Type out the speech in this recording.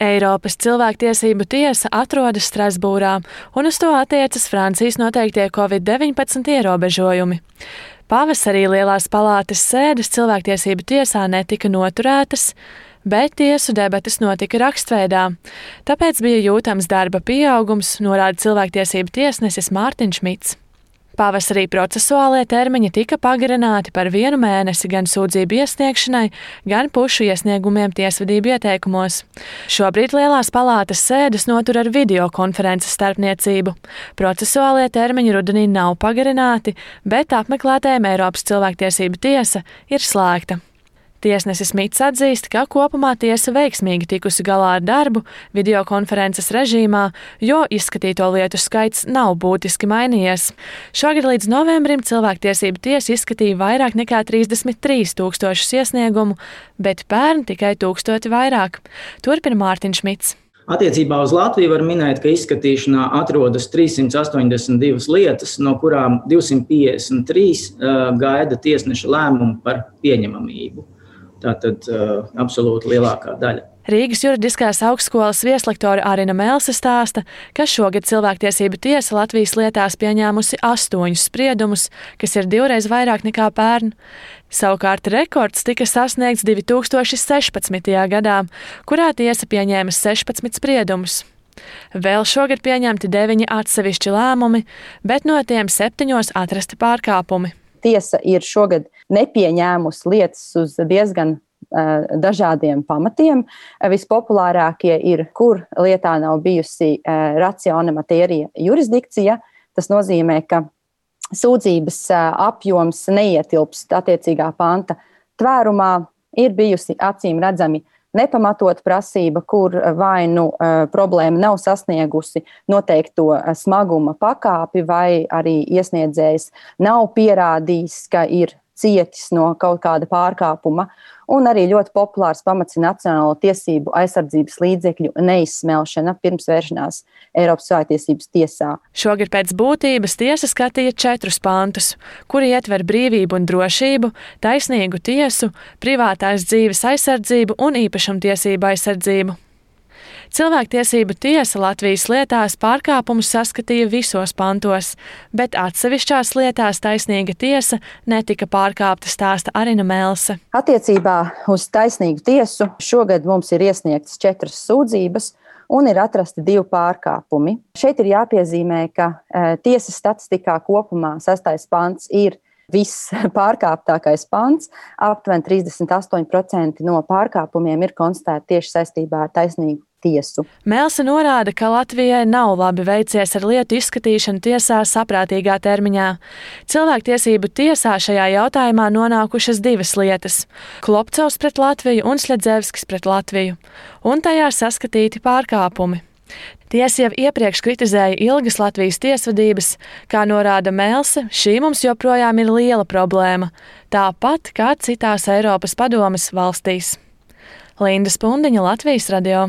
Eiropas cilvēktiesību tiesa atrodas Strasbūrā, un uz to attiecas Francijas noteiktie Covid-19 ierobežojumi. Pavasarī Lielās palātas sēdes cilvēktiesību tiesā netika noturētas, bet tiesu debates notika rakstveidā. Tāpēc bija jūtams darba pieaugums, norāda cilvēktiesību tiesnesis Mārtiņš Mits. Pavasarī procesuālie termiņi tika pagarināti par 1 mēnesi gan sūdzību iesniegšanai, gan pušu iesniegumiem tiesvedību ieteikumos. Šobrīd Lielās palātas sēdes notur ar videokonferences starpniecību. Procesuālie termiņi rudenī nav pagarināti, bet apmeklētājiem Eiropas cilvēktiesību tiesa ir slēgta. Tiesnesis Mits atzīst, ka kopumā tiesa veiksmīgi tikusi galā ar darbu videokonferences režīmā, jo izskatīto lietu skaits nav būtiski mainījies. Šogad līdz novembrim cilvēktiesību tiesa izskatīja vairāk nekā 33 000 iesniegumu, bet pērn tikai 1000 vairāk. Turpina Mārtiņš Mits. Attiecībā uz Latviju var minēt, ka izskatīšanā atrodas 382 lietas, no kurām 253 gaida tiesneša lēmumu par pieņemamību. Tātad absolūti lielākā daļa. Rīgas juridiskās augstskolas vieslektore Arina Melse stāsta, ka šogad cilvēktiesību tiesa Latvijas lietās pieņēmusi 8 spriedumus, kas ir 2 vairāk nekā pērn. Savukārt rekords tika sasniegts 2016. gadā, kurā tiesa pieņēma 16 spriedumus. Vēl šogad pieņemti 9 atsevišķi lēmumi, bet no tiem 7 atrasti pārkāpumi. Tiesa ir šogad nepieņēmusi lietas uz diezgan dažādiem pamatiem. Vispopulārākie ir, kur lietā nav bijusi ratione materia jurisdikcija. Tas nozīmē, ka sūdzības apjoms neietilpst attiecīgā panta tvērumā, ir bijusi acīm redzami nepamatot prasība, kur vai nu problēma nav sasniegusi noteikto smaguma pakāpi, vai arī iesniedzējs nav pierādījis, ka ir cietis no kaut kāda pārkāpuma, un arī ļoti populārs pamats ir nacionālo tiesību aizsardzības līdzekļu neizsmelšana pirms vēršanās Eiropas cilvēktiesības tiesā. Šogad pēc būtības tiesa skatīja 4 pantus, kuri ietver brīvību un drošību, taisnīgu tiesu, privātās dzīves aizsardzību un īpašumtiesību aizsardzību. Cilvēktiesību tiesa Latvijas lietās pārkāpumus saskatīja visos pantos, bet atsevišķās lietās taisnīga tiesa netika pārkāpta, stāsta Arina Melse. Attiecībā uz taisnīgu tiesu šogad mums ir iesniegtas 4 sūdzības un ir atrasti 2 pārkāpumi. Šeit ir jāpiezīmē, ka tiesas statistikā kopumā 6. pants ir viss pārkāptākais pants. Aptuveni 38% no pārkāpumiem ir konstatēti tieši saistībā ar taisnīgu tiesu. Melse norāda, ka Latvijai nav labi veicies ar lietu izskatīšanu tiesā saprātīgā termiņā. Cilvēktiesību tiesā šajā jautājumā nonākušas 2 lietas – Klopcovs pret Latviju un Sļedzevskis pret Latviju, un tajā saskatīti pārkāpumi. Tiesa jau iepriekš kritizēja ilgas Latvijas tiesvedības, kā norāda Melse, šī mums joprojām ir liela problēma, tāpat kā citās Eiropas padomes valstīs. Linda Spundiņa, Latvijas radio.